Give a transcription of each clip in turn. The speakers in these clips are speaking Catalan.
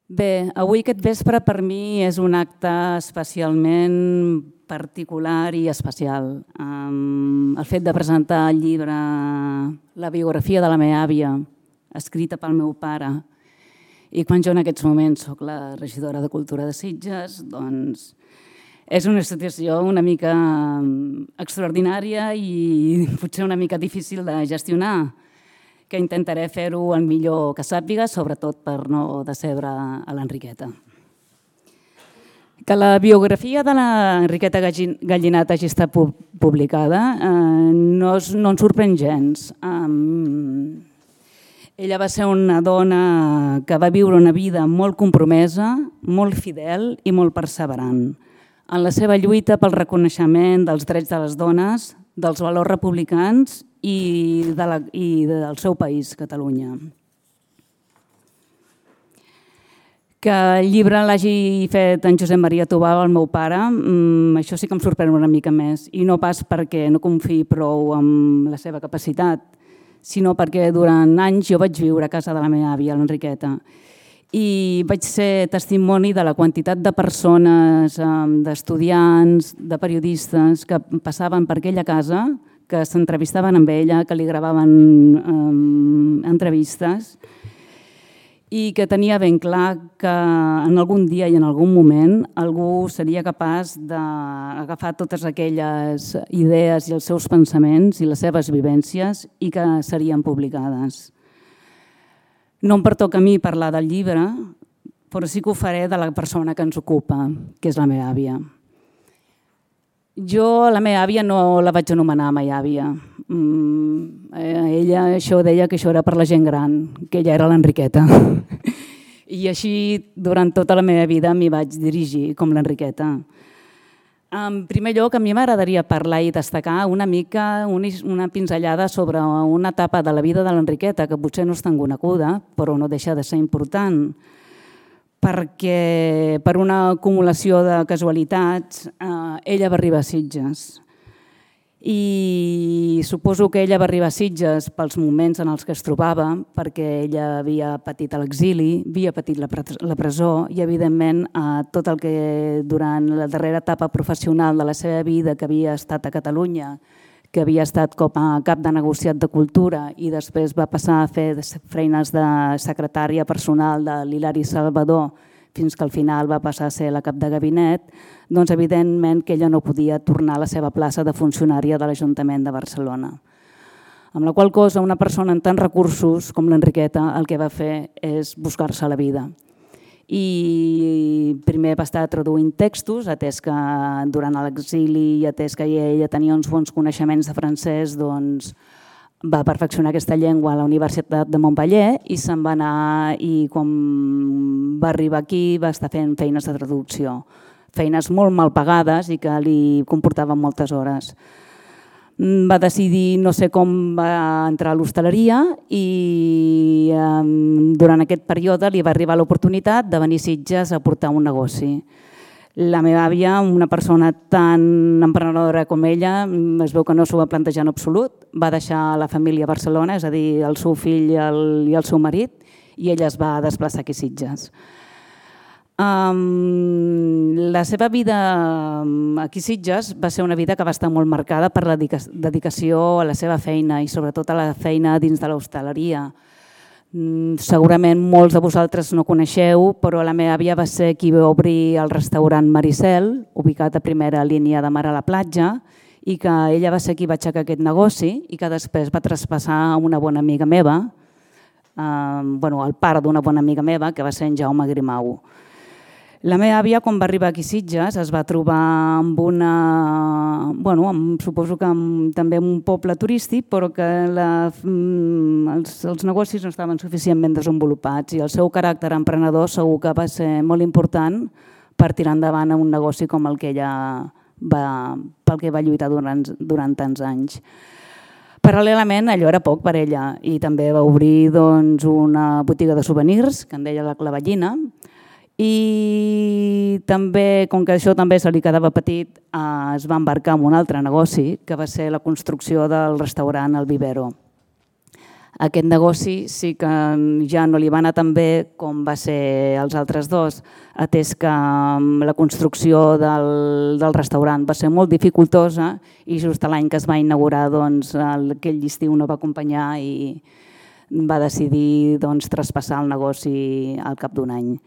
Bé, avui aquest vespre per mi és un acte especialment particular i especial. El fet de presentar el llibre La biografia de la meva àvia, escrita pel meu pare, i quan jo en aquests moments soc la regidora de Cultura de Sitges, doncs és una situació una mica extraordinària i potser una mica difícil de gestionar, que intentaré fer-ho el millor que sàpiga, sobretot per no decebre a l'Enriqueta. Que la biografia de l'Enriqueta Gallinat hagi estat publicada no ens sorprèn gens. Ella va ser una dona que va viure una vida molt compromesa, molt fidel i molt perseverant en la seva lluita pel reconeixement dels drets de les dones, dels valors republicans i del seu país, Catalunya. Que el llibre l'hagi fet en Josep Maria Tubau, el meu pare, això sí que em sorprèn una mica més, i no pas perquè no confiï prou en la seva capacitat, sinó perquè durant anys jo vaig viure a casa de la meva àvia, l'Enriqueta, i vaig ser testimoni de la quantitat de persones, d'estudiants, de periodistes que passaven per aquella casa, que s'entrevistaven amb ella, que li gravaven entrevistes i que tenia ben clar que en algun dia i en algun moment algú seria capaç d'agafar totes aquelles idees i els seus pensaments i les seves vivències i que serien publicades. No em pertoca a mi parlar del llibre, però sí que ho faré de la persona que ens ocupa, que és la meva àvia. Jo la meva àvia no la vaig anomenar mai àvia. Ella deia que això era per la gent gran, que ella era l'Enriqueta. I així durant tota la meva vida m'hi vaig dirigir com l'Enriqueta. En primer lloc, a mi m'agradaria parlar i destacar una mica una pinzellada sobre una etapa de la vida de l'Enriqueta que potser no és tan coneguda, però no deixa de ser important, perquè per una acumulació de casualitats ella va arribar a Sitges. I suposo que ella va arribar a Sitges pels moments en els que es trobava, perquè ella havia patit l'exili, havia patit la presó i, evidentment, tot el que durant la darrera etapa professional de la seva vida, que havia estat a Catalunya, que havia estat com a cap de negociat de Cultura i després va passar a fer feines de secretària personal de l'Hilari Salvador fins que al final va passar a ser la cap de gabinet, doncs evidentment que ella no podia tornar a la seva plaça de funcionària de l'Ajuntament de Barcelona. Amb la qual cosa, una persona amb tants recursos com l'Enriqueta el que va fer és buscar-se la vida. I primer va estar traduint textos, atès que durant l'exili i atès que ella tenia uns bons coneixements de francès, doncs va perfeccionar aquesta llengua a la Universitat de Montpeller i se'n va anar i quan va arribar aquí va estar fent feines de traducció, feines molt mal pagades i que li comportaven moltes hores. Va decidir, no sé com, va entrar a l'hostaleria i durant aquest període li va arribar l'oportunitat de venir a Sitges a portar un negoci. La meva àvia, una persona tan emprenedora com ella, es veu que no s'ho va plantejar en absolut, va deixar la família a Barcelona, és a dir, el seu fill i el seu marit, i ella es va desplaçar aquí a Sitges. La seva vida aquí a Sitges va ser una vida que va estar molt marcada per la dedicació a la seva feina i sobretot a la feina dins de l'hostaleria. Segurament molts de vosaltres no coneixeu, però la meva àvia va ser qui va obrir el restaurant Maricel, ubicat a primera línia de mar a la platja, i que ella va ser qui va aixecar aquest negoci i que després va traspassar a una bona amiga meva, el pare d'una bona amiga meva, que va ser en Jaume Grimau. La meva àvia, quan va arribar aquí a Sitges, es va trobar amb suposo que també un poble turístic, però que els negocis no estaven suficientment desenvolupats i el seu caràcter emprenedor segur que va ser molt important per tirar endavant un negoci com el que ella pel que va lluitar durant tants anys. Paral·lelament, allò era poc per ella i també va obrir una botiga de souvenirs, que en deia la Clavellina, i també, com que això també se li quedava petit, es va embarcar en un altre negoci, que va ser la construcció del restaurant El Vivero. Aquest negoci sí que ja no li va anar tan bé com va ser els altres dos, atès que la construcció del restaurant va ser molt dificultosa i just l'any que es va inaugurar aquell estiu no va acompanyar i va decidir traspassar el negoci al cap d'un any.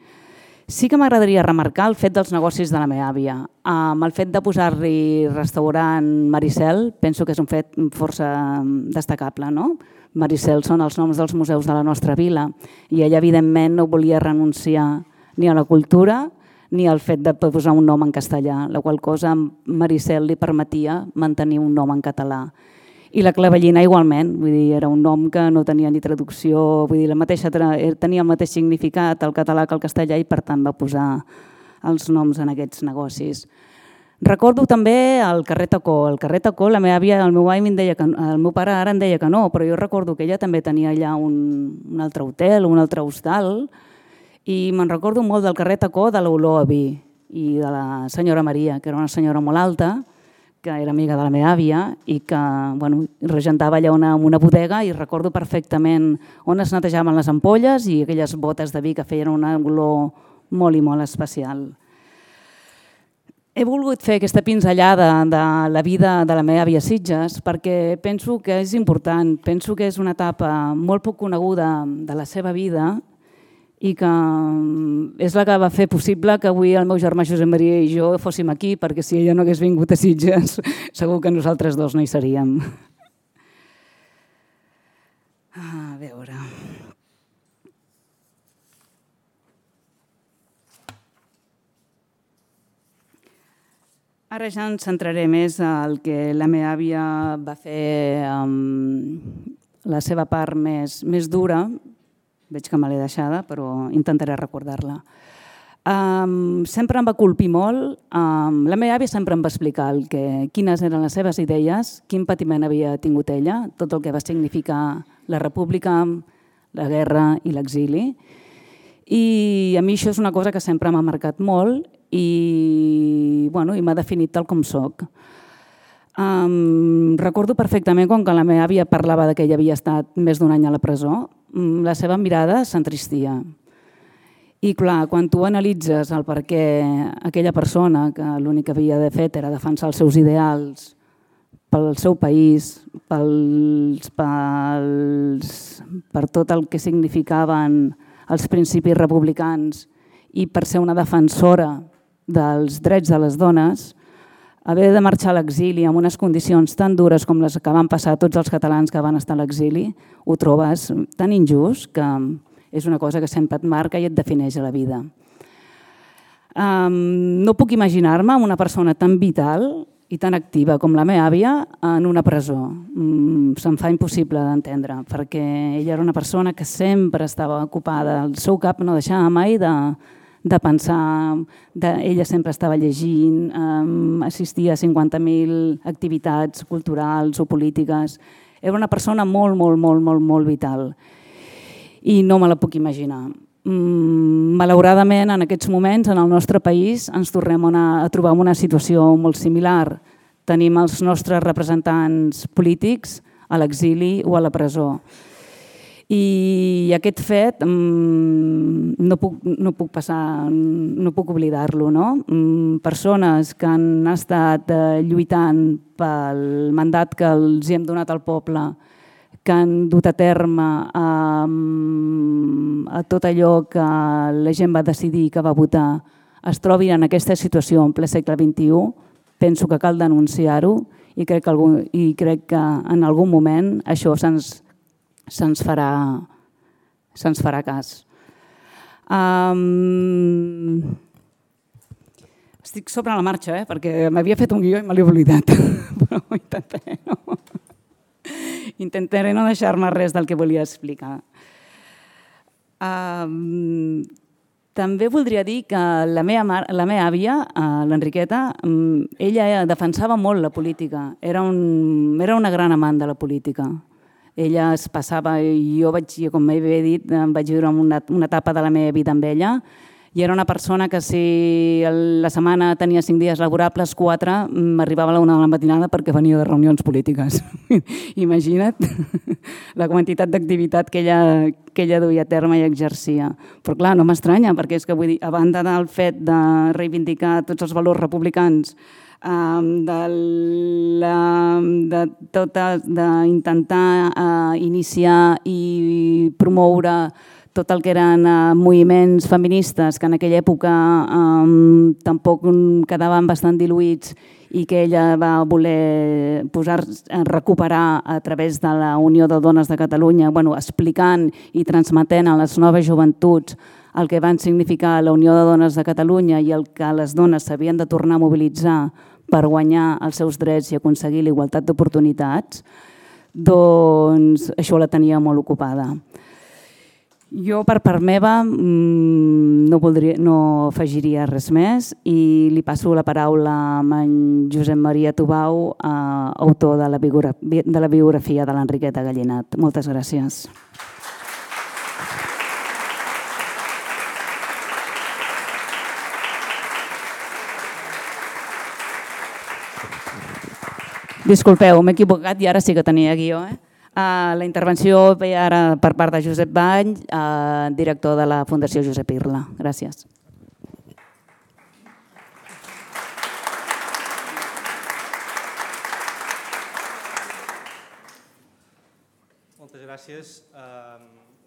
Sí que m'agradaria remarcar el fet dels negocis de la meva àvia. Amb el fet de posar-li restaurant Maricel, penso que és un fet força destacable, no? Maricel són els noms dels museus de la nostra vila i ella, evidentment, no volia renunciar ni a la cultura ni al fet de posar un nom en castellà, la qual cosa a Maricel li permetia mantenir un nom en català. I la Clavellina igualment, vull dir, era un nom que no tenia ni traducció, vull dir, tenia el mateix significat al català que al castellà i per tant va posar els noms en aquests negocis. Recordo també el carrer Tacó. El carrer Tacó, la meva àvia, el meu pare ara em deia que no, però jo recordo que ella també tenia allà un altre hotel, un altre hostal, i me'n recordo molt del carrer Tacó, de l'olor a vi i de la senyora Maria, que era una senyora molt alta, que era amiga de la meva àvia i que regentava allà una bodega i recordo perfectament on es netejaven les ampolles i aquelles botes de vi que feien una olor molt i molt especial. He volgut fer aquesta pinzellada de la vida de la meva àvia Sitges perquè penso que és important, penso que és una etapa molt poc coneguda de la seva vida i que és la que va fer possible que avui el meu germà Josep Maria i jo fóssim aquí, perquè si ella no hagués vingut a Sitges, segur que nosaltres dos no hi seríem. A veure... Ara ja ens centraré més al que la meva àvia va fer la seva part més dura. Veig que me l'he deixada, però intentaré recordar-la. Sempre em va colpir molt. La meva àvia sempre em va explicar quines eren les seves idees, quin patiment havia tingut ella, tot el que va significar la república, la guerra i l'exili. I a mi això és una cosa que sempre m'ha marcat molt i m'ha definit tal com soc. Recordo perfectament quan la meva àvia parlava que ella havia estat més d'un any a la presó, la seva mirada s'entristia. I clar, quan tu analitzes el per què aquella persona que l'únic que havia fet era defensar els seus ideals pel seu país, per tot el que significaven els principis republicans i per ser una defensora dels drets de les dones, haver de marxar a l'exili en unes condicions tan dures com les que van passar tots els catalans que van estar a l'exili, ho trobes tan injust que és una cosa que sempre et marca i et defineix a la vida. No puc imaginar-me una persona tan vital i tan activa com la meva àvia en una presó. Se'm fa impossible d'entendre, perquè ella era una persona que sempre estava ocupada, el seu cap no deixava mai de pensar, ella sempre estava llegint, assistia a 50.000 activitats culturals o polítiques. Era una persona molt, molt, molt, molt, molt vital i no me la puc imaginar. Malauradament, en aquests moments, en el nostre país, ens tornem a trobar en una situació molt similar. Tenim els nostres representants polítics a l'exili o a la presó. I aquest fet no puc oblidar-lo. Persones que han estat lluitant pel mandat que els hem donat al poble, que han dut a terme a tot allò que la gent va decidir que va votar, es trobin en aquesta situació en ple segle XXI, penso que cal denunciar-ho i crec que en algun moment això se'ns farà cas. Estic sobre la marxa, perquè m'havia fet un guió i me l'he oblidat, però ho intentaré no deixar-me res del que volia explicar. També voldria dir que la meva àvia, l'Enriqueta, ella defensava molt la política, era una gran amant de la política. Ella es passava, com he dit, vaig viure una etapa de la meva vida amb ella I era una persona que si la setmana tenia 5 dies laborables, 4, m'arribava a la 1 de la matinada perquè venia de reunions polítiques. Imagina't la quantitat d'activitat que ella duia a terme i exercia. Però clar, no m'estranya, perquè és que vull dir, a banda del fet de reivindicar tots els valors republicans, d'intentar iniciar i promoure tot el que eren moviments feministes que en aquella època tampoc quedaven bastant diluïts i que ella va voler recuperar a través de la Unió de Dones de Catalunya, explicant i transmetent a les noves joventuts el que van significar la Unió de Dones de Catalunya i el que les dones s'havien de tornar a mobilitzar per guanyar els seus drets i aconseguir la igualtat d'oportunitats, doncs això la tenia molt ocupada. Jo, per part meva, no afegiria res més i li passo la paraula a en Josep Maria Tubau, autor de la biografia de l'Enriqueta Gallinat. Moltes gràcies. Disculpeu, m'he equivocat i ara sí que tenia guió. La intervenció ve ara per part de Josep Bany, director de la Fundació Josep Irla. Gràcies. Moltes gràcies.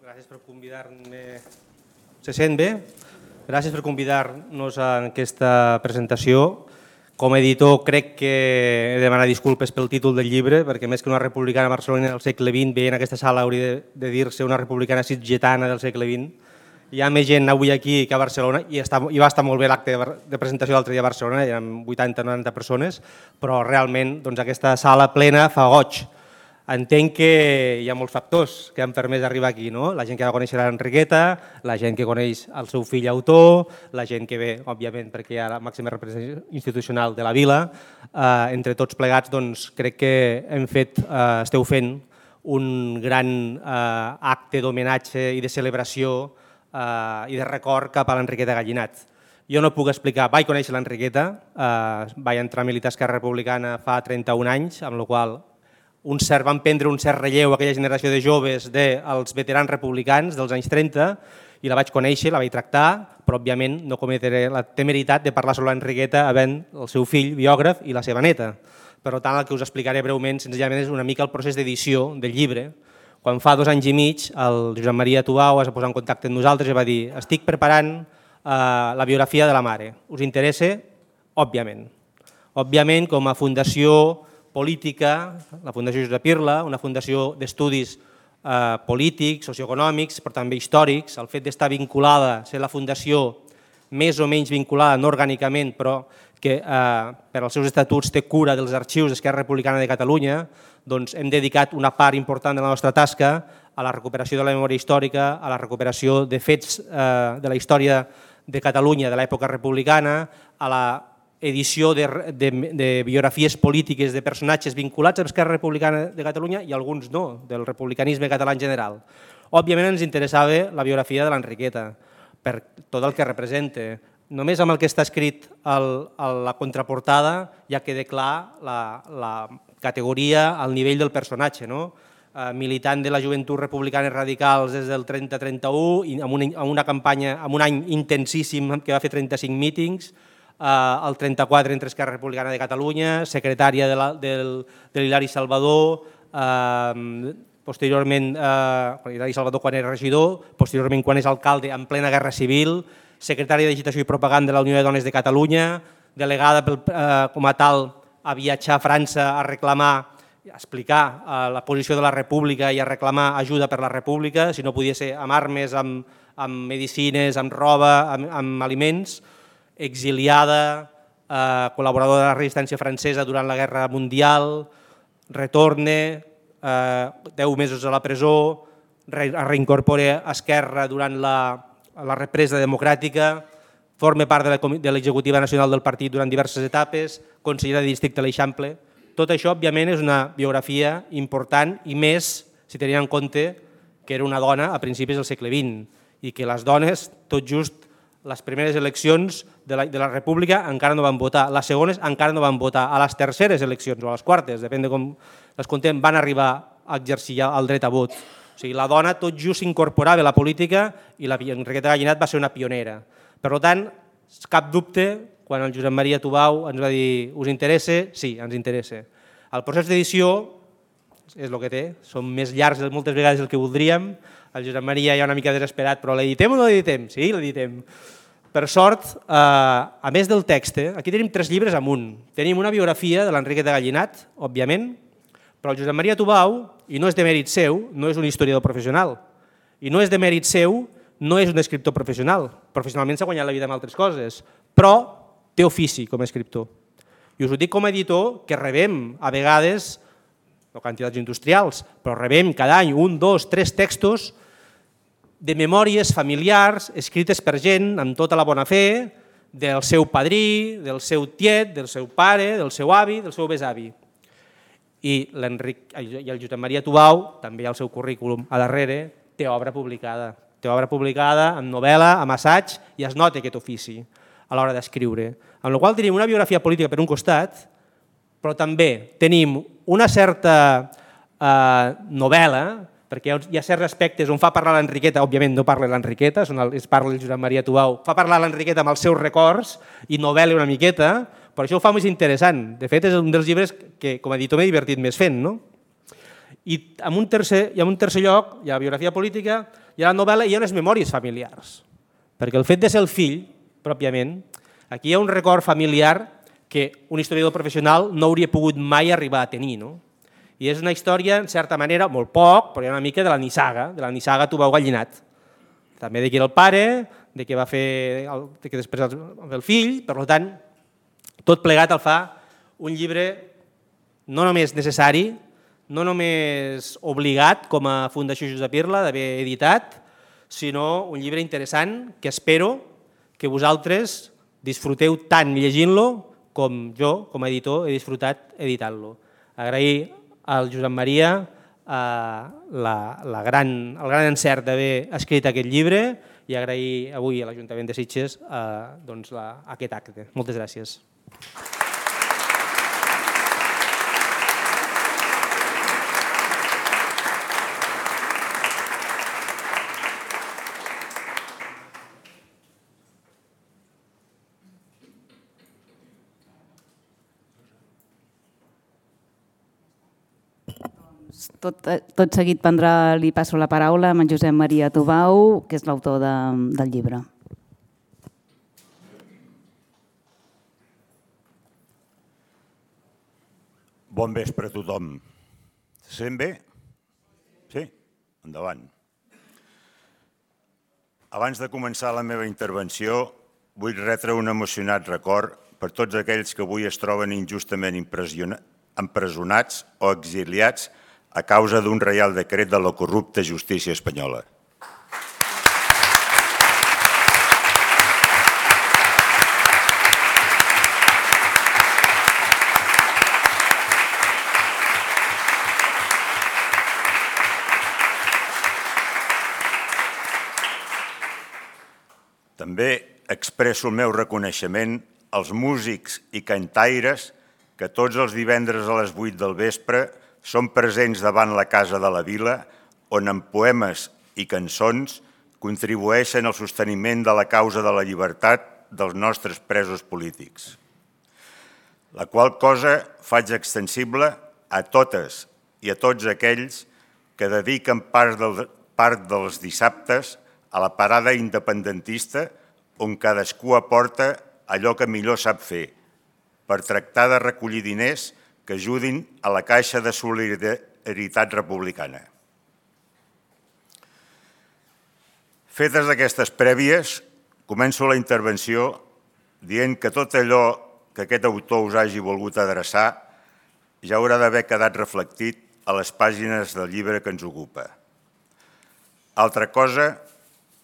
Gràcies per convidar-me. Se sent bé? Gràcies per convidar-nos a aquesta presentació. Com a editor crec que he de demanar disculpes pel títol del llibre, perquè més que una republicana barcelonina del segle XX, veient aquesta sala hauria de dir-se una republicana sitgetana del segle XX. Hi ha més gent avui aquí que a Barcelona, i va estar molt bé l'acte de presentació l'altre dia a Barcelona, hi ha 80-90 persones, però realment aquesta sala plena fa goig. Entenc que hi ha molts factors que han permès arribar aquí, no? La gent que va conèixer l'Enriqueta, la gent que coneix el seu fill autor, la gent que ve, òbviament, perquè hi ha la màxima representació institucional de la vila. Entre tots plegats, doncs, crec que esteu fent un gran acte d'homenatge i de celebració i de record cap a l'Enriqueta Gallinat. Jo no puc explicar, vaig conèixer l'Enriqueta, vaig entrar a militar a Esquerra Republicana fa 31 anys, amb la qual van prendre un cert relleu aquella generació de joves dels veterans republicans dels anys 30 i la vaig conèixer, la vaig tractar, però òbviament no cometré la temeritat de parlar sobre l'Enriqueta havent el seu fill biògraf i la seva neta. Per tant, el que us explicaré breument senzillament és una mica el procés d'edició del llibre. Quan fa 2 anys i mig el Josep Maria Tubau es va posar en contacte amb nosaltres i va dir: estic preparant la biografia de la mare. Us interessa? Òbviament. Òbviament, com a fundació política, la Fundació Josep Irla, una fundació d'estudis polítics, socioeconòmics, però també històrics, el fet d'estar vinculada, ser la fundació més o menys vinculada, no orgànicament, però que per als seus estatuts té cura dels arxius d'Esquerra Republicana de Catalunya, doncs hem dedicat una part important de la nostra tasca a la recuperació de la memòria històrica, a la recuperació de fets de la història de Catalunya de l'època republicana, a la edició de biografies polítiques de personatges vinculats a l'Esquerra Republicana de Catalunya i alguns no, del republicanisme català en general. Òbviament ens interessava la biografia de l'Enriqueta, per tot el que representa. Només amb el que està escrit a la contraportada ja queda clar la categoria, el nivell del personatge, militant de la Joventut Republicana Radicals des del 30-31 i amb una campanya, amb un any intensíssim que va fer 35 mítings, el 34 entre Esquerra Republicana de Catalunya, secretària de l'Hilari Salvador, posteriorment, Hilari Salvador quan era regidor, posteriorment quan és alcalde en plena Guerra Civil, secretària d'Agitació i Propaganda de la Unió de Dones de Catalunya, delegada com a tal a viatjar a França a reclamar, a explicar la posició de la República i a reclamar ajuda per la República, si no podia ser amb armes, amb medicines, amb roba, amb aliments, exiliada, col·laboradora de la resistència francesa durant la Guerra Mundial, retorna, 10 mesos a la presó, es reincorpora a Esquerra durant la represa democràtica, forma part de l'executiva nacional del partit durant diverses etapes, consellera de districte a l'Eixample. Tot això, òbviament, és una biografia important i més si tenint en compte que era una dona a principis del segle XX i que les dones tot just les primeres eleccions de la República encara no van votar, les segones encara no van votar, a les terceres eleccions o a les quartes, depèn de com les contem, van arribar a exercir el dret a vot. O sigui, la dona tot just s'incorporava a la política i la Enriqueta Gallinat va ser una pionera. Per tant, cap dubte, quan el Josep Maria Tubau ens va dir us interessa? Sí, ens interessa. El procés d'edició és el que té, són més llargs moltes vegades del que voldríem, el Josep Maria ja una mica desesperat, però l'editem o no l'editem? Sí, l'editem. Per sort, a més del text, aquí tenim 3 llibres amunt. Tenim una biografia de l'Enriqueta Gallinat, òbviament, però el Josep Maria Tubau, i no és de mèrit seu, no és un historiador professional, i no és de mèrit seu, no és un escriptor professional. Professionalment s'ha guanyat la vida amb altres coses, però té ofici com a escriptor. I us ho dic com a editor, que rebem a vegades, no quantitats industrials, però rebem cada any 1, 2, 3 textos de memòries familiars escrites per gent amb tota la bona fe del seu padrí, del seu tiet, del seu pare, del seu avi, del seu besavi. I el Josep Maria Tubau, també al seu currículum a darrere, té obra publicada. Té obra publicada amb novel·la, amb assaig, i es nota aquest ofici a l'hora d'escriure. Amb la qual cosa tenim una biografia política per un costat, però també tenim una certa novel·la, perquè hi ha certs aspectes on fa parlar l'Enriqueta, òbviament no parla l'Enriqueta, es parla el Josep Maria Tubau, fa parlar l'Enriqueta amb els seus records i novel·la una miqueta, però això ho fa més interessant. De fet, és un dels llibres que com a editor m'he divertit més fent. I en un tercer lloc hi ha la biografia política, hi ha la novel·la i hi ha unes memòries familiars, perquè el fet de ser el fill, pròpiament, aquí hi ha un record familiar que un historiador professional no hauria pogut mai arribar a tenir. I és una història, en certa manera, molt poc, però hi ha una mica de la nissaga Tubau Gallinat. També de qui era el pare, de què va fer, de què després el fill, per tant, tot plegat el fa un llibre no només necessari, no només obligat com a Fundació Josep Irla d'haver editat, sinó un llibre interessant que espero que vosaltres disfruteu tant llegint-lo com jo, com a editor, he disfrutat editant-lo. Agrair al Josep Maria el gran encert d'haver escrit aquest llibre i agrair avui a l'Ajuntament de Sitges aquest acte. Moltes gràcies. Tot seguit li passo la paraula a en Josep Maria Tubau, que és l'autor del llibre. Bon vespre a tothom. Se sent bé? Sí? Endavant. Abans de començar la meva intervenció, vull retre un emocionat record per tots aquells que avui es troben injustament empresonats o exiliats a causa d'un reial decret de la corrupta justícia espanyola. També expresso el meu reconeixement als músics i cantaires que tots els divendres a les 8 del vespre són presents davant la Casa de la Vila, on amb poemes i cançons contribueixen al sosteniment de la causa de la llibertat dels nostres presos polítics. La qual cosa faig extensible a totes i a tots aquells que dediquen part dels dissabtes a la parada independentista on cadascú aporta allò que millor sap fer, per tractar de recollir diners que ajudin a la Caixa de Solidaritat Republicana. Fetes aquestes prèvies, començo la intervenció dient que tot allò que aquest autor us hagi volgut adreçar ja haurà d'haver quedat reflectit a les pàgines del llibre que ens ocupa. Altra cosa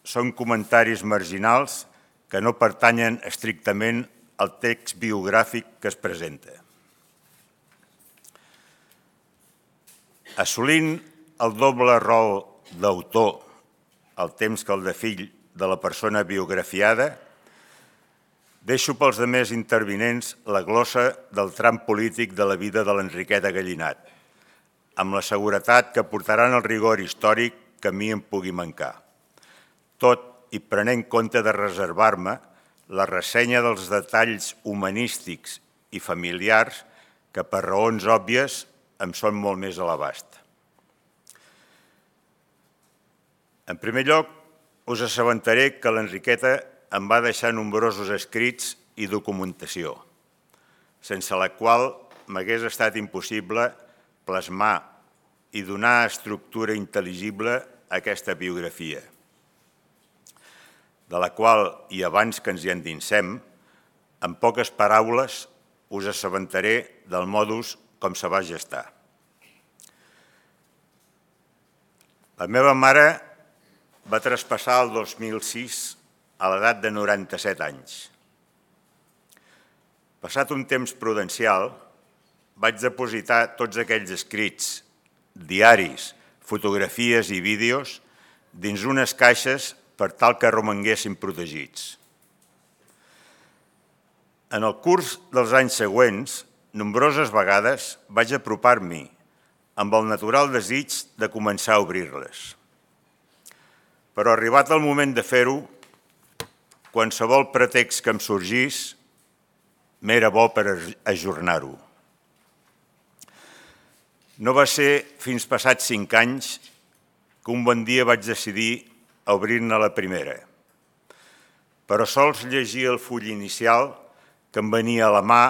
són comentaris marginals que no pertanyen estrictament al text biogràfic que es presenta. Assolint el doble rol d'autor, el temps que el de fill de la persona biografiada, Deixo pels demés intervinents la glossa del tram polític de la vida de l'Enriqueta Gallinat, amb la seguretat que portaran el rigor històric que a mi em pugui mancar. Tot i prenent compte de reservar-me la ressenya dels detalls humanístics i familiars que per raons òbvies em són molt més a l'abast. En primer lloc, us assabentaré que l'Enriqueta em va deixar nombrosos escrits i documentació, sense la qual m'hagués estat impossible plasmar i donar estructura intel·ligible a aquesta biografia, de la qual, i abans que ens hi endinsem, en poques paraules us assabentaré del modus com se va gestar. La meva mare va traspassar el 2006 a l'edat de 97 anys. Passat un temps prudencial, vaig depositar tots aquells escrits, diaris, fotografies i vídeos dins unes caixes per tal que romanguessin protegits. En el curs dels anys següents, nombroses vegades vaig apropar-m'hi amb el natural desig de començar a obrir-les. Però arribat el moment de fer-ho, qualsevol pretext que em sorgís m'era bo per ajornar-ho. No va ser fins passats 5 anys que un bon dia vaig decidir obrir-ne la primera. Però sols llegir el full inicial que em venia a la mà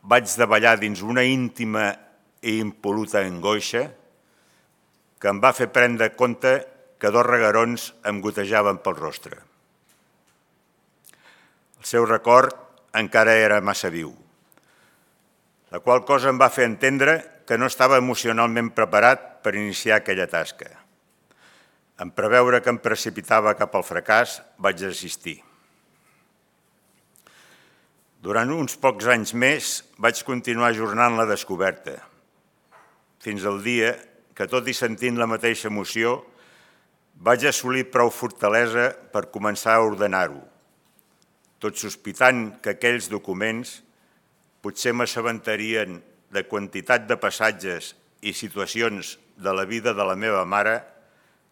vaig davallar dins una íntima i impol·luta angoixa que em va fer prendre compte que 2 reguerons em gotejaven pel rostre. El seu record encara era massa viu, la qual cosa em va fer entendre que no estava emocionalment preparat per iniciar aquella tasca. En preveure que em precipitava cap al fracàs, vaig desistir. Durant uns pocs anys més vaig continuar ajornant la descoberta, fins al dia que, tot i sentint la mateixa emoció, vaig assolir prou fortalesa per començar a ordenar-ho, tot sospitant que aquells documents potser m'assabentarien de quantitat de passatges i situacions de la vida de la meva mare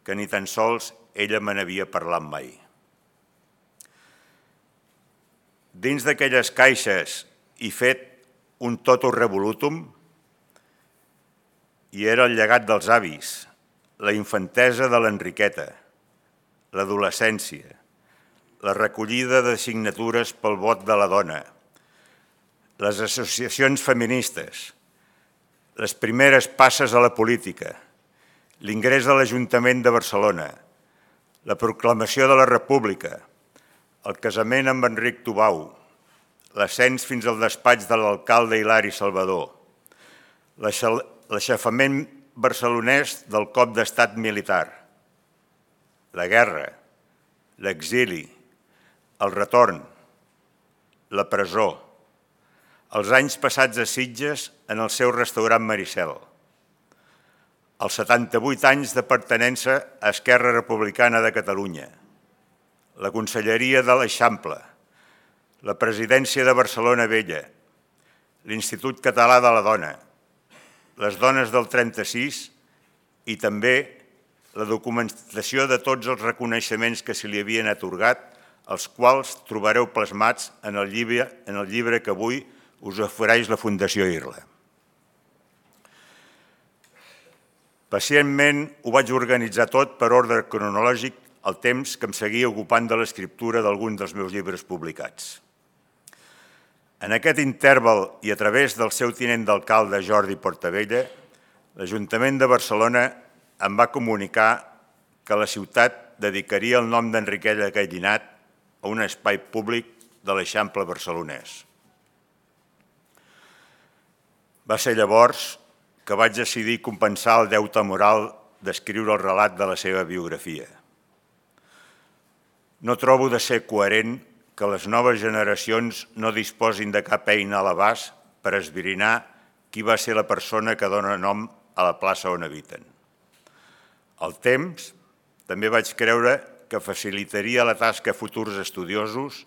que ni tan sols ella me n'havia parlat mai. Dins d'aquelles caixes hi fet un totum revolutum i era el llegat dels avis, la infantesa de l'Enriqueta, l'adolescència, la recollida de signatures pel vot de la dona, les associacions feministes, les primeres passes a la política, l'ingrés a l'Ajuntament de Barcelona, la proclamació de la República, el casament amb Enric Tubau, l'ascens fins al despatx de l'alcalde Hilari Salvador, l'aixafament barcelonès del cop d'estat militar, la guerra, l'exili, el retorn, la presó, els anys passats a Sitges en el seu restaurant Maricel, els 78 anys de pertinença a Esquerra Republicana de Catalunya, la Conselleria de l'Eixample, la Presidència de Barcelona Vella, l'Institut Català de la Dona, les dones del 36 i també la documentació de tots els reconeixements que se li havien atorgat, els quals trobareu plasmats en el llibre que avui us ofereix la Fundació Irla. Pacientment ho vaig organitzar tot per ordre cronològic el temps que em seguia ocupant de l'escriptura d'algun dels meus llibres publicats. En aquest interval i a través del seu tinent d'alcalde Jordi Portabella, l'Ajuntament de Barcelona em va comunicar que la ciutat dedicaria el nom d'Enriqueta Gallinat a un espai públic de l'Eixample barcelonès. Va ser llavors que vaig decidir compensar el deute moral d'escriure el relat de la seva biografia. No trobo de ser coherent que les noves generacions no disposin de cap eina a l'abast per esbrinar qui va ser la persona que dona nom a la plaça on habiten. Al temps, també vaig creure que facilitaria la tasca a futurs estudiosos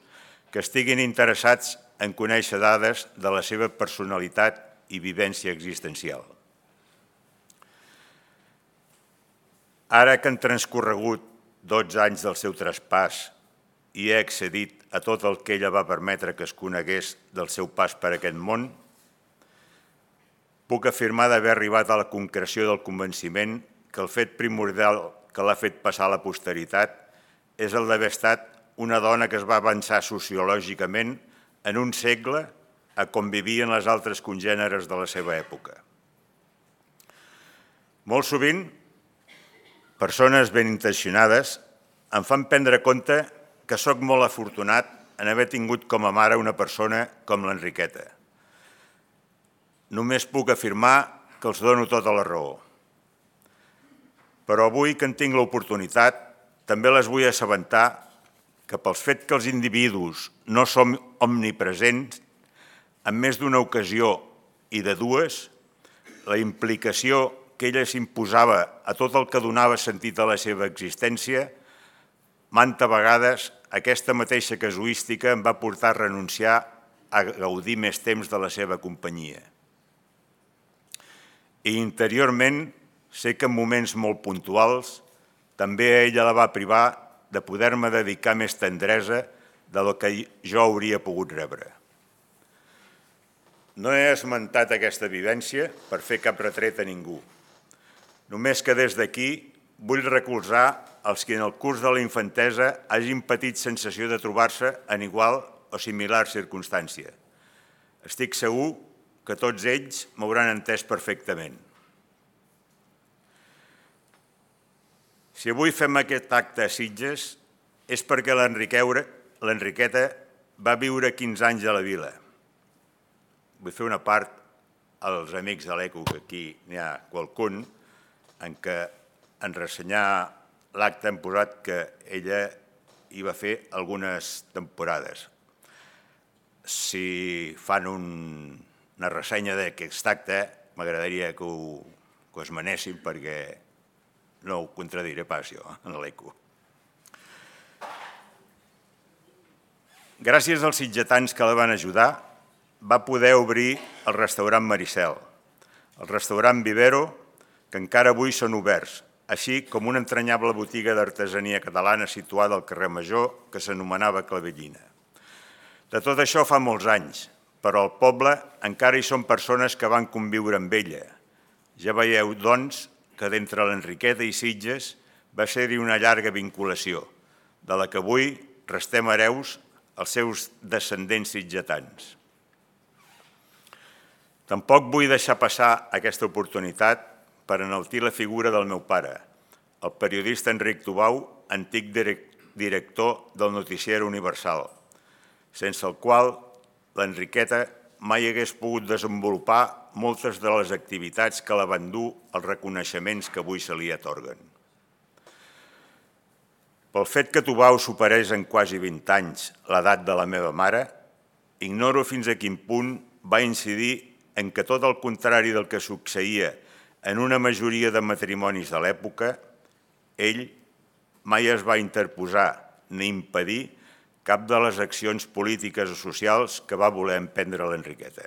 que estiguin interessats en conèixer dades de la seva personalitat i vivència existencial. Ara que han transcorregut 12 anys del seu traspàs i he accedit a tot el que ella va permetre que es conegués del seu pas per aquest món, puc afirmar d'haver arribat a la concreció del convenciment que el fet primordial que l'ha fet passar a la posteritat és el d'haver estat una dona que es va avançar sociològicament en un segle a com vivien les altres congèneres de la seva època. Molt sovint, persones ben intencionades em fan prendre compte que sóc molt afortunat en haver tingut com a mare una persona com l'Enriqueta. Només puc afirmar que els dono tota la raó. Però avui que en tinc l'oportunitat, també les vull assabentar que pels fet que els individus no som omnipresents, en més d'una ocasió i de dues, la implicació que ella s'imposava a tot el que donava sentit a la seva existència, manta vegades aquesta mateixa casuística em va portar a renunciar a gaudir més temps de la seva companyia. I interiorment sé que en moments molt puntuals també ella la va privar de poder-me dedicar més tendresa de lo que jo hauria pogut rebre. No he esmentat aquesta vivència per fer cap retret a ningú. Només que des d'aquí vull recolzar els que en el curs de la infantesa hagin patit sensació de trobar-se en igual o similar circumstància. Estic segur que tots ells m'hauran entès perfectament. Si avui fem aquest acte a Sitges és perquè l'Enriqueta va viure 15 anys a la vila. Vull fer una part als amics de l'ECO, que aquí n'hi ha qualcun, en què en ressenyar l'acte hem posat que ella hi va fer algunes temporades. Si fan una ressenya d'aquest acte, m'agradaria que ho esmenessin perquè no ho contradiré pas jo en l'ECO. Gràcies als sitgetans que la van ajudar, va poder obrir el restaurant Maricel, el restaurant Vivero, que encara avui són oberts, així com una entranyable botiga d'artesania catalana situada al carrer Major que s'anomenava Clavellina. De tot això fa molts anys, però al poble encara hi són persones que van conviure amb ella. Ja veieu, doncs, que d'entre l'Enriqueta i Sitges va ser-hi una llarga vinculació, de la que avui restem hereus els seus descendents sitgetans. Tampoc vull deixar passar aquesta oportunitat per enaltir la figura del meu pare, el periodista Enric Tubau, antic director del Noticiari Universal, sense el qual l'Enriqueta mai hagués pogut desenvolupar moltes de les activitats que la van dur als reconeixements que avui se li atorguen. Pel fet que Tubau superés en quasi 20 anys l'edat de la meva mare, ignoro fins a quin punt va incidir en que tot el contrari del que succeïa en una majoria de matrimonis de l'època, ell mai es va interposar ni impedir cap de les accions polítiques o socials que va voler emprendre l'Enriqueta.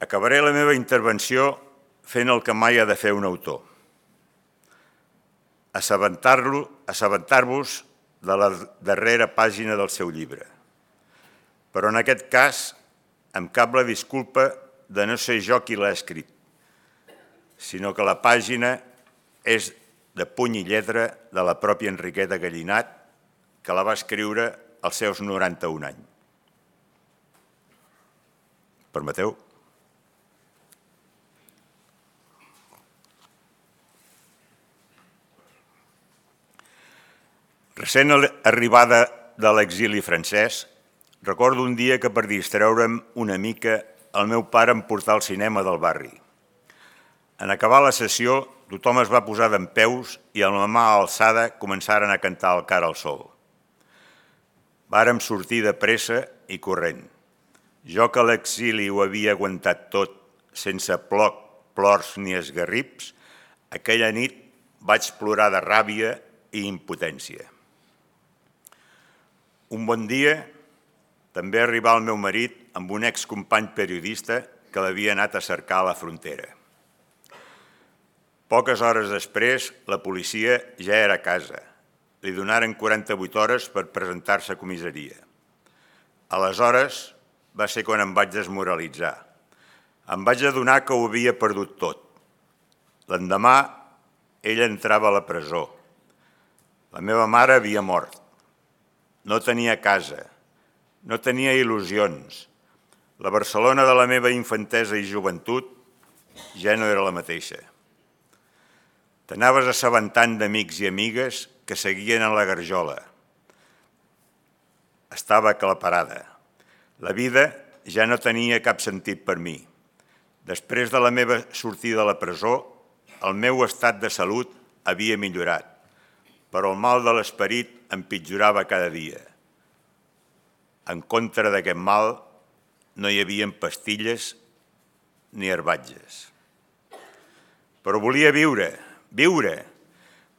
Acabaré la meva intervenció fent el que mai ha de fer un autor. Assabentar-vos de la darrera pàgina del seu llibre. Però en aquest cas em cap la disculpa de no ser jo qui l'ha escrit, sinó que la pàgina és de puny i lletra de la pròpia Enriqueta Gallinat, que la va escriure als seus 91 anys. Permeteu? Recent arribada de l'exili francès, recordo un dia que per distreure'm una mica el meu pare em portà al cinema del barri. En acabar la sessió, tothom es va posar dempeus i amb la mà alçada començaren a cantar el Cara al sol. Vàrem sortir de pressa i corrent. Jo que a l'exili ho havia aguantat tot, sense plors ni esgarrips, aquella nit vaig plorar de ràbia i impotència. Un bon dia també arribà el meu marit amb un excompany periodista que l'havia anat a cercar a la frontera. Poques hores després, la policia ja era a casa. Li donaren 48 hores per presentar-se a comissaria. Aleshores va ser quan em vaig desmoralitzar. Em vaig adonar que ho havia perdut tot. L'endemà, ella entrava a la presó. La meva mare havia mort. No tenia casa. No tenia il·lusions. La Barcelona de la meva infantesa i joventut ja no era la mateixa. T'anaves assabentant d'amics i amigues que seguien en la garjola. Estava aclaparada. La vida ja no tenia cap sentit per mi. Després de la meva sortida de la presó, el meu estat de salut havia millorat, però el mal de l'esperit empitjorava cada dia. En contra d'aquest mal no hi havia pastilles ni herbatges. Però volia viure.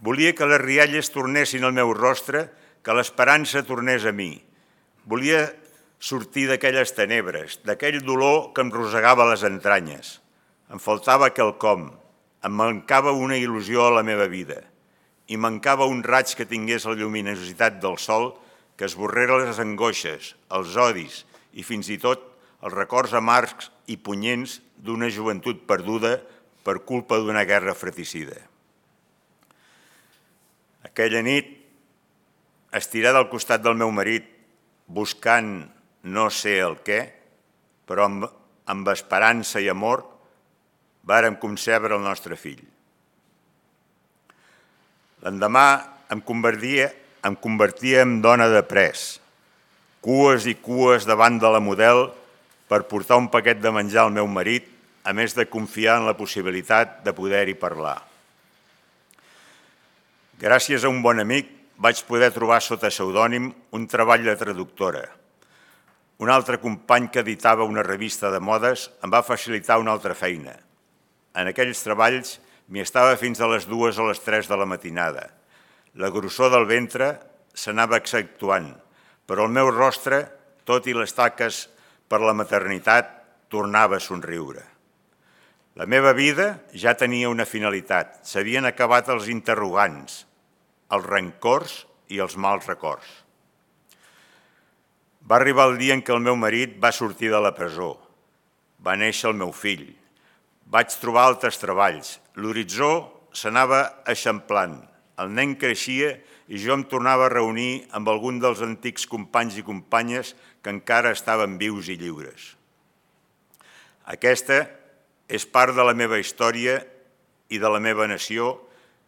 Volia que les rialles tornessin al meu rostre, que l'esperança tornés a mi. Volia sortir d'aquelles tenebres, d'aquell dolor que em rosegava les entranyes. Em faltava quelcom, em mancava una il·lusió a la meva vida i mancava un raig que tingués la lluminositat del sol que esborrera les angoixes, els odis i fins i tot els records amargs i punyents d'una joventut perduda per culpa d'una guerra fratricida. Aquella nit, estirada al costat del meu marit, buscant no sé el què, però amb esperança i amor, vàrem concebre el nostre fill. L'endemà em convertia en dona de pres, cues i cues davant de la model per portar un paquet de menjar al meu marit, a més de confiar en la possibilitat de poder-hi parlar. Gràcies a un bon amic vaig poder trobar sota pseudònim un treball de traductora. Un altre company que editava una revista de modes em va facilitar una altra feina. En aquells treballs m'hi estava fins a les 2 o les 3 de la matinada. La grossor del ventre s'anava accentuant, però el meu rostre, tot i les taques per la maternitat, tornava a somriure. La meva vida ja tenia una finalitat. S'havien acabat els interrogants, els rancors i els mals records. Va arribar el dia en què el meu marit va sortir de la presó. Va néixer el meu fill. Vaig trobar altres treballs. L'horitzó s'anava eixamplant. El nen creixia i jo em tornava a reunir amb algun dels antics companys i companyes que encara estaven vius i lliures. Aquesta és part de la meva història i de la meva nació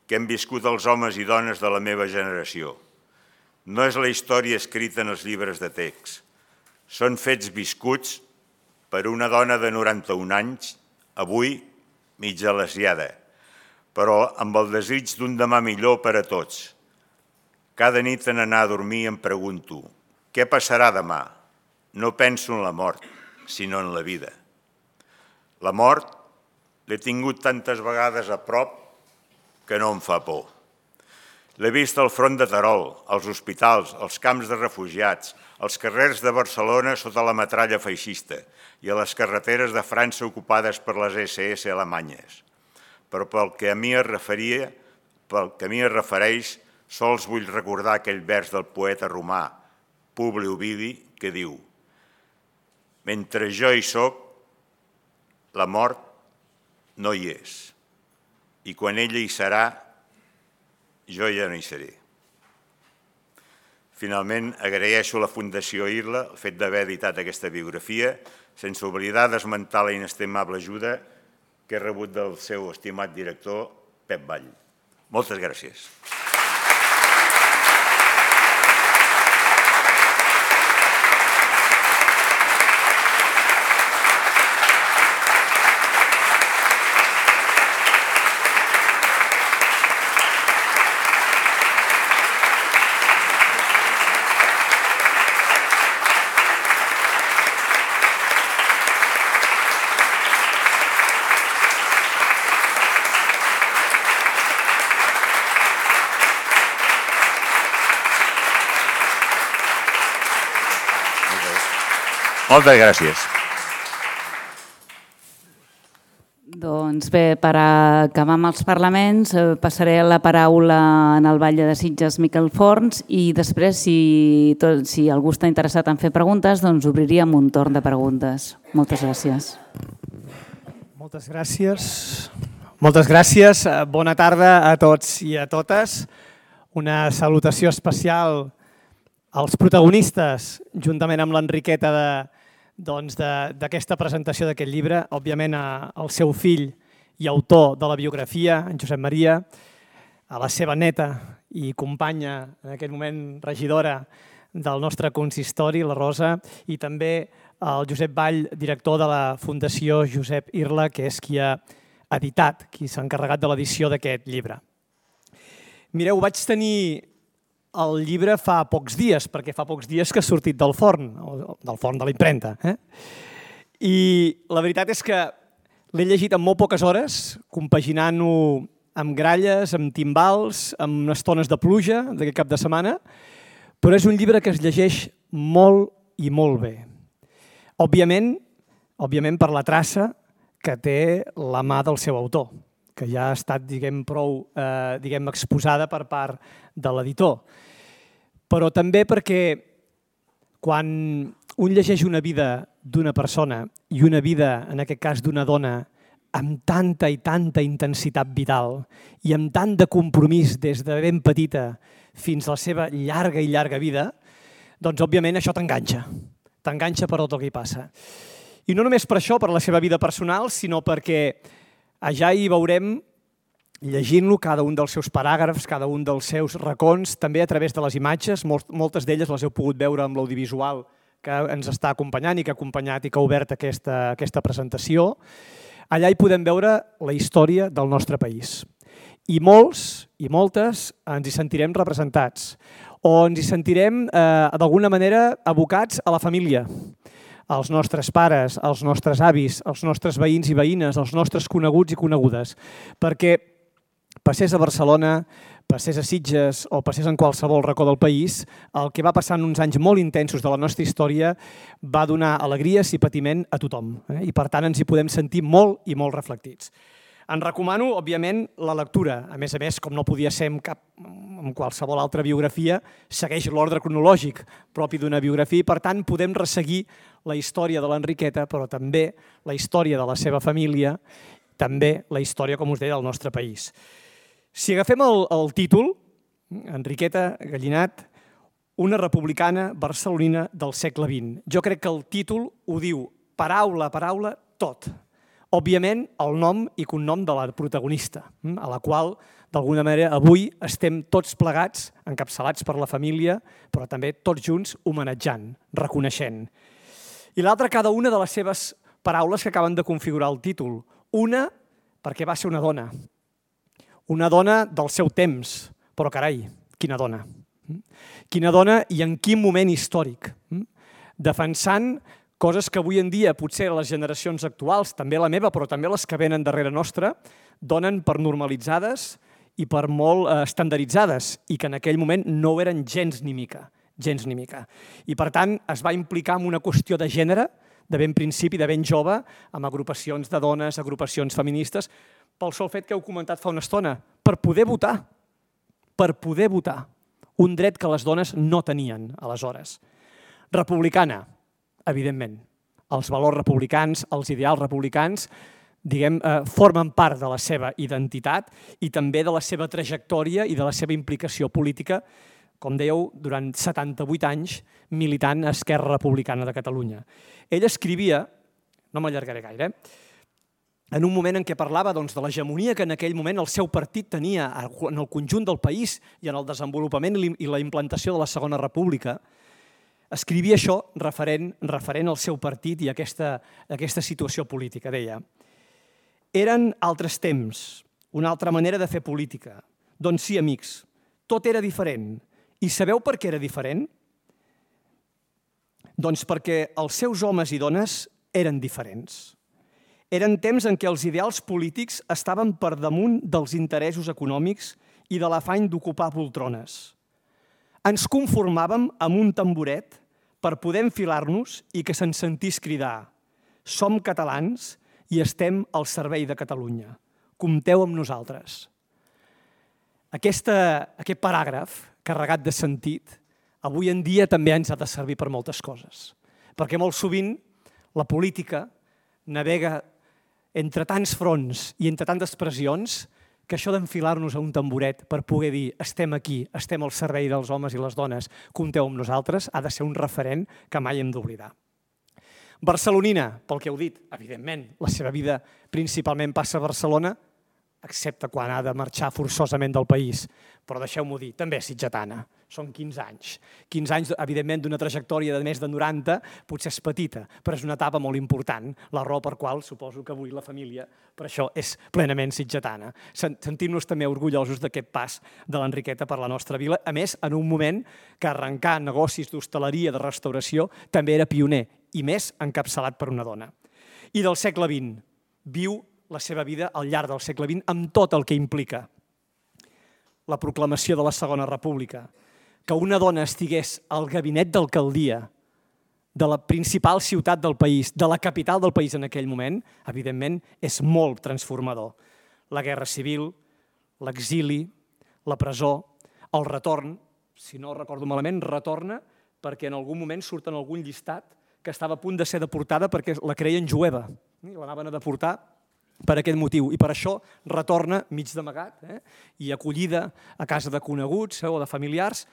que hem viscut els homes i dones de la meva generació. No és la història escrita en els llibres de text. Són fets viscuts per una dona de 91 anys, avui mitja lesiada, però amb el desig d'un demà millor per a tots. Cada nit en anar a dormir em pregunto, què passarà demà? No penso en la mort, sinó en la vida. La mort l'he tingut tantes vegades a prop que no em fa por. L'he vist al front de Terol, als hospitals, als camps de refugiats, als carrers de Barcelona sota la metralla feixista i a les carreteres de França ocupades per les SS alemanyes. Però pel que a mi es refereix, sols vull recordar aquell vers del poeta romà Publi Ovidi que diu: mentre jo hi soc, la mort no hi és, i quan ella hi serà, jo ja no hi seré. Finalment, agraeixo a la Fundació Irla el fet d'haver editat aquesta biografia, sense oblidar d'esmentar la inestimable ajuda que he rebut del seu estimat director, Pep Vall. Moltes gràcies. Moltes gràcies. Doncs bé, per acabar amb els parlaments, passaré la paraula en el Batlle de Sitges Miquel Forns i després, si algú està interessat en fer preguntes, doncs obriríem un torn de preguntes. Moltes gràcies. Moltes gràcies. Moltes gràcies. Bona tarda a tots i a totes. Una salutació especial als protagonistes, juntament amb l'Enriqueta d'aquesta presentació d'aquest llibre, òbviament al seu fill i autor de la biografia, en Josep Maria, a la seva neta i companya, en aquest moment regidora del nostre consistori, la Rosa, i també al Josep Vall, director de la Fundació Josep Irla, que és qui ha editat, qui s'ha encarregat de l'edició d'aquest llibre. Mireu, vaig tenir el llibre fa pocs dies, perquè fa pocs dies que ha sortit del forn de la impremta. I la veritat és que l'he llegit en molt poques hores, compaginant-ho amb gralles, amb timbals, amb estones de pluja d'aquest cap de setmana, però és un llibre que es llegeix molt i molt bé. Òbviament per la traça que té la mà del seu autor, que ja ha estat prou exposada per part de l'editor. Però també perquè quan un llegeix una vida d'una persona i una vida, en aquest cas d'una dona, amb tanta i tanta intensitat vital i amb tant de compromís des de ben petita fins a la seva llarga i llarga vida, doncs òbviament això t'enganxa per tot el que hi passa. I no només per això, per la seva vida personal, sinó perquè allà hi veurem, llegint-lo, cada un dels seus paràgrafs, cada un dels seus racons, també a través de les imatges, moltes d'elles les heu pogut veure amb l'audiovisual que ens està acompanyant i que ha acompanyat i que ha obert aquesta presentació. Allà hi podem veure la història del nostre país. I molts i moltes ens hi sentirem representats o ens hi sentirem d'alguna manera abocats a la família, als nostres pares, als nostres avis, als nostres veïns i veïnes, als nostres coneguts i conegudes, perquè passés a Barcelona, passés a Sitges o passés en qualsevol racó del país, el que va passar en uns anys molt intensos de la nostra història va donar alegries i patiment a tothom. I per tant ens hi podem sentir molt i molt reflectits. En recomano, òbviament, la lectura. A més, com no podia ser en qualsevol altra biografia, segueix l'ordre cronològic propi d'una biografia i per tant podem resseguir la història de l'Enriqueta, però també la història de la seva família, també la història, com us deia, del nostre país. Si agafem el títol, Enriqueta Gallinat, una republicana barcelonina del segle XX. Jo crec que el títol ho diu paraula a paraula tot. Òbviament, el nom i cognom de la protagonista, a la qual, d'alguna manera, avui estem tots plegats, encapçalats per la família, però també tots junts homenatjant, reconeixent. I l'altra, cada una de les seves paraules que acaben de configurar el títol. Una, perquè va ser una dona del seu temps, però carai, quina dona. Quina dona i en quin moment històric. Defensant coses que avui en dia, potser les generacions actuals, també la meva, però també les que venen darrere nostra, donen per normalitzades i per molt estandarditzades i que en aquell moment no ho eren gens ni mica. I per tant es va implicar en una qüestió de gènere de ben principi, de ben jove, amb agrupacions de dones, agrupacions feministes, pel sol fet que heu comentat fa una estona, per poder votar, un dret que les dones no tenien aleshores. Republicana, evidentment. Els valors republicans, els ideals republicans, formen part de la seva identitat i també de la seva trajectòria i de la seva implicació política, com dèieu, durant 78 anys militant a Esquerra Republicana de Catalunya. Ell escrivia, no m'allargaré gaire, en un moment en què parlava de l'hegemonia que en aquell moment el seu partit tenia en el conjunt del país i en el desenvolupament i la implantació de la Segona República, escrivia això referent al seu partit i a aquesta situació política. Deia, eren altres temps, una altra manera de fer política. Doncs sí, amics, tot era diferent. I sabeu per què era diferent? Doncs perquè els seus homes i dones eren diferents. Eren temps en què els ideals polítics estaven per damunt dels interessos econòmics i de l'afany d'ocupar poltrones. Ens conformàvem amb un tamboret per poder enfilar-nos i que se'n sentís cridar: som catalans i estem al servei de Catalunya. Compteu amb nosaltres. Aquest paràgraf, carregat de sentit, avui en dia també ens ha de servir per moltes coses. Perquè molt sovint la política navega entre tants fronts i entre tantes pressions que això d'enfilar-nos a un tamboret per poder dir estem aquí, estem al servei dels homes i les dones, compteu amb nosaltres, ha de ser un referent que mai hem d'oblidar. Barcelonina, pel que heu dit, evidentment, la seva vida principalment passa a Barcelona, excepte quan ha de marxar forçosament del país. Però deixeu-m'ho dir, també és sitgetana. Són 15 anys. 15 anys, evidentment, d'una trajectòria de més de 90, potser és petita, però és una etapa molt important, la raó per qual suposo que avui la família, per això, és plenament sitgetana. Sentim-nos també orgullosos d'aquest pas de l'Enriqueta per la nostra vila, a més, en un moment que arrencar negocis d'hostaleria, de restauració, també era pioner, i més encapçalat per una dona. I del segle XX, viu la seva vida al llarg del segle XX amb tot el que implica la proclamació de la Segona República, que una dona estigués al gabinet d'alcaldia de la principal ciutat del país, de la capital del país en aquell moment, evidentment, és molt transformador. La guerra civil, l'exili, la presó, el retorn, si no recordo malament, retorna perquè en algun moment surt en algun llistat que estava a punt de ser deportada perquè la creien jueva. L'anaven a deportar per aquest motiu, i per això retorna mig d'amagat i acollida a casa de coneguts o de familiars,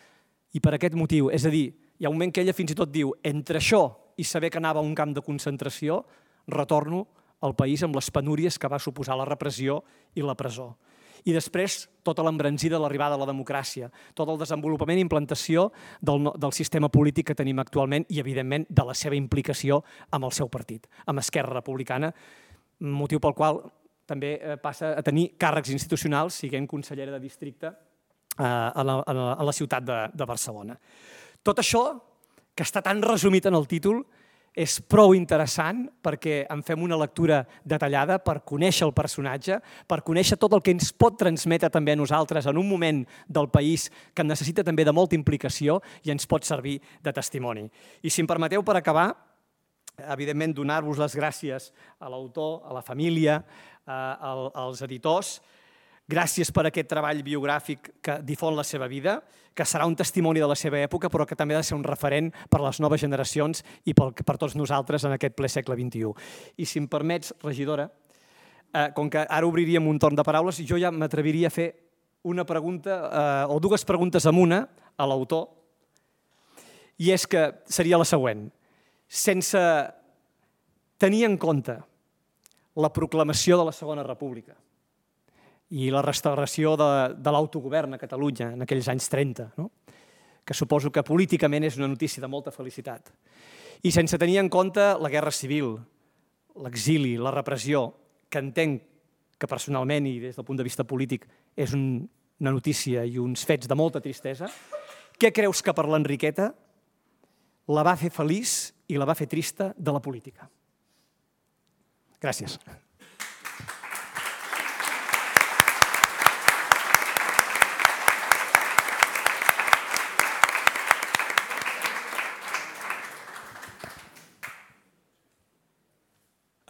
i per aquest motiu. És a dir, hi ha un moment que ella fins i tot diu: entre això i saber que anava a un camp de concentració, retorno al país amb les penúries que va suposar la repressió i la presó. I després, tota l'embranzida de l'arribada a la democràcia, tot el desenvolupament i implantació del sistema polític que tenim actualment i, evidentment, de la seva implicació amb el seu partit, amb Esquerra Republicana, motiu pel qual també passa a tenir càrrecs institucionals, siguent consellera de districte a la ciutat de Barcelona. Tot això, que està tan resumit en el títol, és prou interessant perquè en fem una lectura detallada per conèixer el personatge, per conèixer tot el que ens pot transmetre també a nosaltres en un moment del país que necessita també de molta implicació i ens pot servir de testimoni. I si em permeteu, per acabar, evidentment, donar-vos les gràcies a l'autor, a la família, als editors. Gràcies per aquest treball biogràfic que difon la seva vida, que serà un testimoni de la seva època, però que també ha de ser un referent per a les noves generacions i per tots nosaltres en aquest ple segle XXI. I si em permets, regidora, com que ara obriríem un torn de paraules, jo ja m'atreviria a fer una pregunta o dues preguntes amb una a l'autor, i és que seria la següent. Sense tenir en compte la proclamació de la Segona República i la restauració de l'autogovern a Catalunya en aquells anys 30, que suposo que políticament és una notícia de molta felicitat, i sense tenir en compte la guerra civil, l'exili, la repressió, que entenc que personalment i des del punt de vista polític és una notícia i uns fets de molta tristesa, què creus que per l'Enriqueta la va fer feliç i la va fer trista de la política? Gràcies.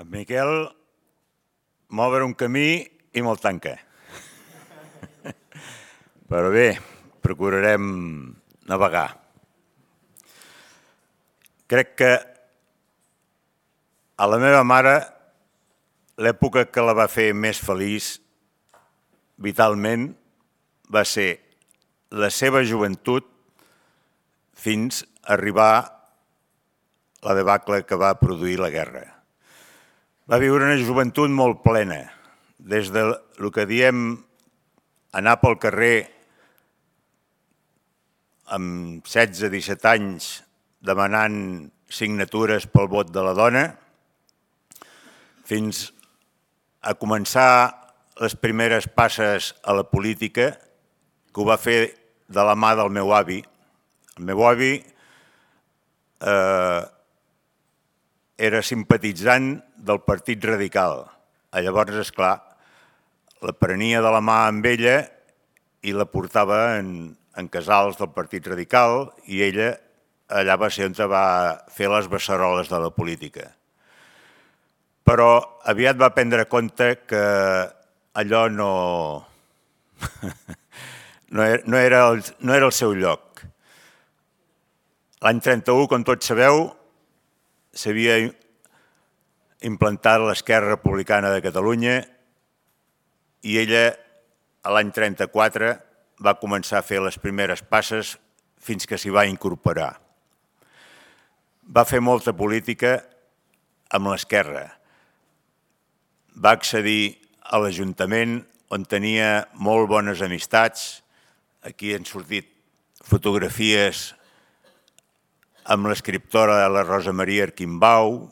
En Miquel m'obre un camí i me'l tanca. Però bé, procurarem navegar. Crec que a la meva mare l'època que la va fer més feliç vitalment va ser la seva joventut fins a arribar la debacle que va produir la guerra. Va viure una joventut molt plena, des del que diem anar pel carrer amb 16-17 anys demanant signatures pel vot de la dona, fins a començar les primeres passes a la política, que ho va fer de la mà del meu avi. El meu avi era simpatitzant del Partit Radical. Llavors, esclar, la prenia de la mà amb ella i la portava en casals del Partit Radical i ella allà va ser on va fer les beceroles de la política. Però aviat va prendre compte que allò no era el seu lloc. L'any 31, com tots sabeu, s'havia implantat l'Esquerra Republicana de Catalunya i ella, l'any 34, va començar a fer les primeres passes fins que s'hi va incorporar. Va fer molta política amb l'Esquerra. Va accedir a l'Ajuntament, on tenia molt bones amistats. Aquí han sortit fotografies amb l'escriptora de la Rosa Maria Arquimbau,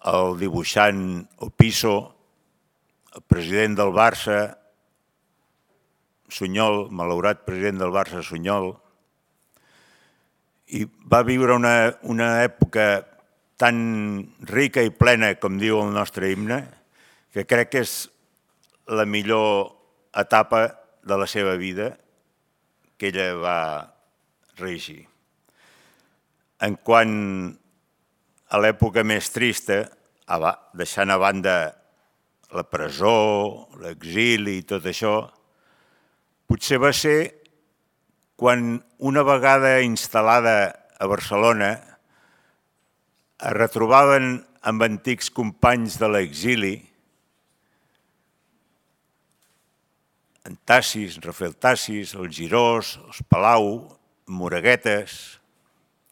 el dibuixant Opiso, el president del Barça, Sunyol, malaurat president del Barça, Sunyol, i va viure una època tan rica i plena, com diu el nostre himne, que crec que és la millor etapa de la seva vida que ella va regir. En quant a l'època més trista, deixant a banda la presó, l'exili i tot això, potser va ser quan una vegada instal·lada a Barcelona es retrobaven amb antics companys de l'exili, en Tassis, Rafael Tassis, el Girós, els Palau, Moraguetes,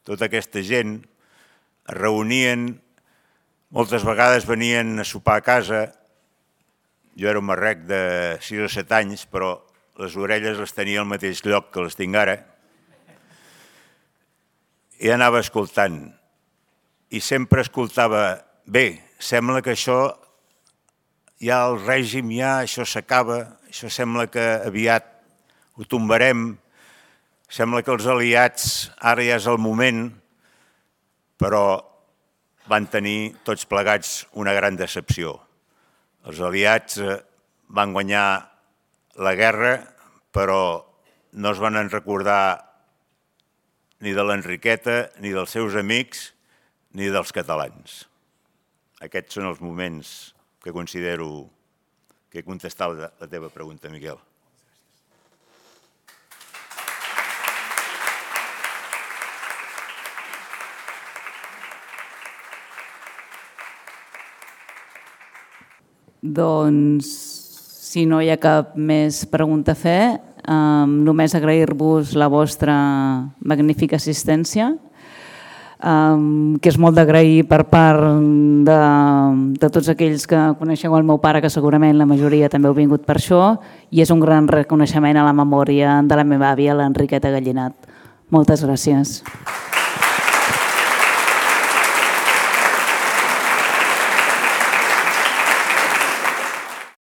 tota aquesta gent es reunien, moltes vegades venien a sopar a casa. Jo era un marrec de 6 o 7 anys, però les orelles les tenia al mateix lloc que les tinc ara. I anava escoltant. I sempre escoltava, bé, sembla que això, ja el règim, ja això s'acaba, això sembla que aviat ho tombarem, sembla que els aliats ara ja és el moment, però van tenir tots plegats una gran decepció. Els aliats van guanyar la guerra, però no es van recordar ni de l'Enriqueta, ni dels seus amics, ni dels catalans. Aquests són els moments que considero que he contestat la teva pregunta, Miquel. Doncs, si no hi ha cap més pregunta a fer, només agrair-vos la vostra magnífica assistència, que és molt d'agrair per part de tots aquells que coneixeu el meu pare, que segurament la majoria també heu vingut per això, i és un gran reconeixement a la memòria de la meva àvia, l'Enriqueta Gallinat. Moltes gràcies.